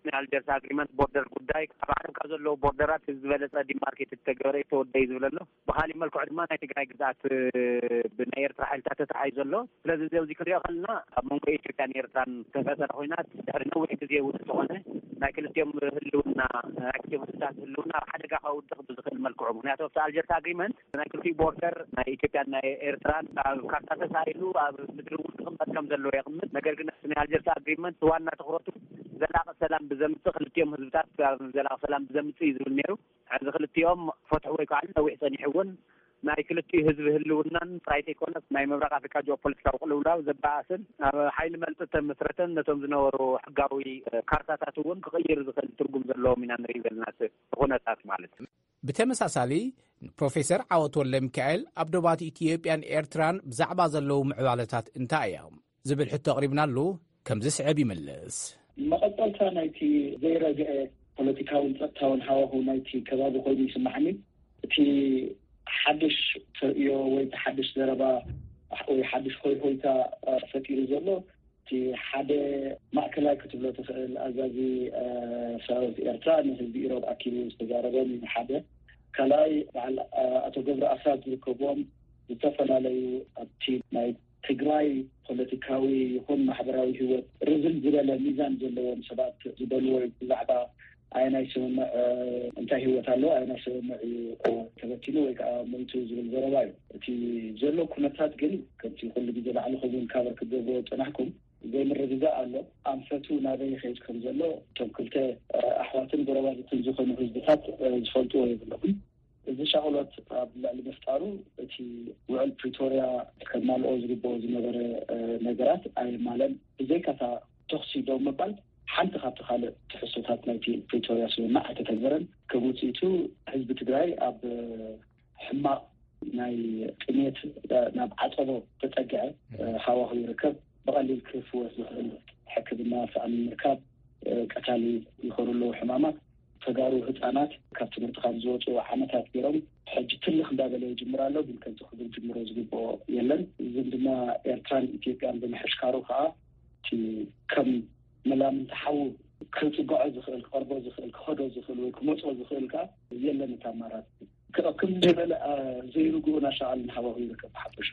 ናይ ኣልጀርስ ኣግሪመንት ቦርደር ጉዳይ ኣብ ዓለም ካብ ዘለዉ ቦርደራት ዝበለፀ ዲማርኬት ዝተገበረ ተወደይ ዝብለሎ። ብካሊእ መልክዑ ድማ ናይ ትግራይ ግዛት ብናይ ኤርትራ ሓይልታት ተታሓይ ዘሎ። ስለዚ እዚ ኣብዚ ክንሪኦ ከለና ኣብ መንጎ ኢትዮጵያን ኤርትራን ተፈጠረ ኮይናት ድሕሪ ነዊሕ ግዜ እውን ዝኾነ ናይ ክልቲኦም ህልውና ናይ ክልቲኦም ህዝብታት ህልውና ኣብ ሓደጋ ከውድቕ ብዝኽእል መልክዑ። ምክንያቱ ኣብቲ ኣልጀርስ ኣግሪመንት ናይ ክልቲኡ ቦርደር ናይ ኢትዮጵያን ናይ ኤርትራን ኣብ ካርታ ተሳኢሉ ኣብ ምድሪ እውን ክቕመጥ ከም ዘለዎ የቕምጥ። ነገር ግን ናይ ኣልጀርስ ኣግሪመንት ዋና ትኩረቱ ዘላቂ ሰላም ብዘምፅእ ክልቲኦም ህዝብታት ኣብ ዘላቂ ሰላም ብዘምፅእ እዩ ዝብል ነይሩ። ሕዚ ክልቲኦም ፈትሑ ወይ ከዓ ነዊሕ ፀኒሑ እውን ናይ ክልቲኡ ህዝቢ ህልውናን ጥራይ ዘይኮነስ ናይ ምብራቅ ኣፍሪካ ጂኦፖለቲካዊ ቅልውላው ዘበኣስን ኣብ ሓይሊ መልጥ ተመስረተን ነቶም ዝነበሩ ሕጋዊ ካርታታት እውን ክቕይር ዝኽእል ትርጉም ዘለዎም ኢና ንርኢ ዘለና ኩነታት ማለት እዩ። ብተመሳሳሊ ፕሮፌሰር ዓወት ወልደ ሚካኤል ኣብ ዶባት ኢትዮጵያን ኤርትራን ብዛዕባ ዘለዉ ምዕባለታት እንታይ እዮም ዝብል ሕቶ ኣቕሪብናሉ ከምዚ ስዕብ ይምልስ። መቐጸልታ ናይቲ ዘይረግአ ፖለቲካውን ጸጥታውን ሃዋሁ ናይቲ ከባቢ ኮይኑ ይስማዓኒ። እቲ ሓድሽ ተርእዮ ወይ እቲ ሓድሽ ዘረባ ወይ ሓድሽ ሆይሆይታ ፈጢሩ ዘሎ እቲ ሓደ ማእከላይ ክትብሎ ትኽእል ኣዛዚ ሰራዊት ኤርትራ ንህዝቢ ኢሮብ ኣኪቡ ዝተዛረቦም እዩ ሓደ። ካልኣይ በዓል ኣቶ ገብረ ኣስራት ዝርከብዎም ዝተፈላለዩ ኣብቲ ናይ ትግራይ ፖለቲካዊ ይኹን ማሕበራዊ ህይወት ርዝን ዝበለ ሚዛን ዘለዎም ሰባት ዝበልዎ እዩ። ብዛዕባ ኣየናይ ስምምዕ እንታይ ህይወት ኣለዎ ኣየናይ ስምምዕ እዩ ተበቲኑ ወይ ከዓ ሞይቱ ዝብል ዘረባ እዩ። እቲ ዘሎ ኩነታት ግን ከምቲ ኩሉ ግዜ ባዕልኹም እውን ካቨር ክትገብርዎ ዝፀናሕኩም ዘይምርግጋእ ኣሎ። ኣንፈቱ ናበይ ይኸይድ ከም ዘሎ እቶም ክልተ ኣሕዋትን ጎረባብትን ዝኾኑ ህዝብታት ዝፈልጥዎ የብሎምን። እዚ ሻቕሎት ኣብ ልዕሊ ምፍጣሩ እቲ ውዕል ፕሪቶርያ ከማልኦ ዝግበኦ ዝነበረ ነገራት ኣየማለን። ብዘይካታ ተኽሲ ደው ምባል ሓንቲ ካብቲ ካልእ ትሕዝቶታት ናይቲ ፕሪቶርያ ስምምዕ ኣይተተግበረን። ከም ውፅኢቱ ህዝቢ ትግራይ ኣብ ሕማቕ ናይ ጥሜት ናብ ዓፀቦ ተፀግዐ ሃዋሁ ይርከብ። ብቐሊል ክፍወስ ዝኽእል ሕክምና ሳእኒ ምርካብ፣ ቀታሊ ይኾኑ ኣለዉ ሕማማት። ተጋሩ ህፃናት ካብ ትምህርቲ ካብ ዝወፁ ዓመታት ገይሮም ሕጂ ትልኽ እንዳበለ ይጅምር ኣሎ። ግን ከምቲ ክብል ጅምሮ ዝግብኦ የለን። ዝምድና ኤርትራን ኢትዮጵያን ብምሕሽካሩ ከዓ እቲ ከም መላምንቲ ሓዊ ክፅግዖ ዝኽእል ክቐርቦ ዝኽእል ክኸዶ ዝኽእል ወይ ክመፆ ዝኽእል ከዓ የለን። እቲ ኣማራፂ ክቕክም ዝበለ ዘይርግኡ ናሻቓልን ሃዋሁ ይርከብ ብሓፈሹ።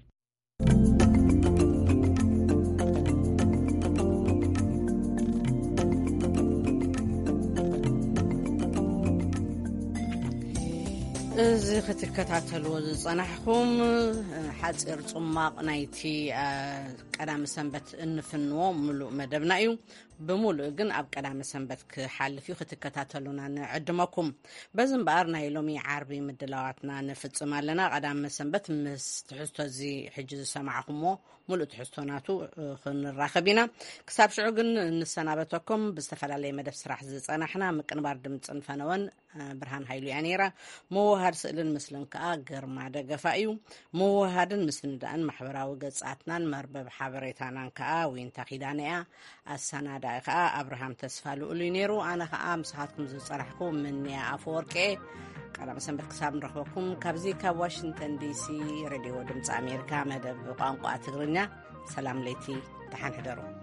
እዚ ክትከታተልዎ ዝጸናሕኩም ሓጺር ጽማቕ ናይቲ ቀዳሚ ሰንበት እንፍንዎ ምሉእ መደብና እዩ። ብምሉእ ግን ኣብ ቀዳሚ ሰንበት ክሓልፍ እዩ። ክትከታተሉና ንዕድመኩም። በዚ እምበኣር ናይ ሎሚ ዓርቢ ምድላዋትና ንፍጽም ኣለና። ቀዳሚ ሰንበት ምስ ትሕዝቶ እዚ ሕጂ ዝሰማዕኹምዎ ሙሉእ ትሕዝቶ ናቱ ክንራኸብ ኢና። ክሳብ ሽዑ ግን ንሰናበተኩም። ብዝተፈላለየ መደብ ስራሕ ዝጸናሕና ምቅንባር ድምፅን ፈነወን ብርሃን ሃይሉ እያ ነይራ። ምውሃድ ስእልን ምስልን ከዓ ግርማ ደገፋ እዩ። ምውሃድን ምስንዳእን ማሕበራዊ ገጻትናን መርበብ ሓበሬታናን ከዓ ዊንታ ኪዳነ እያ። ኣሰናዳኢ ከዓ ኣብርሃም ተስፋ ልኡል እዩ ነይሩ። ኣነ ከዓ ምሳኻትኩም ዝጸናሕኩ ምንያ ኣፈወርቂ እየ። ቀዳመ ሰንበት ክሳብ ንረኽበኩም ካብዚ ካብ ዋሽንግተን ዲሲ ሬድዮ ድምፂ ኣሜሪካ መደብ ቋንቋ ትግርኛ ሰላም ለይቲ፣ ደሓን ሕደሩ።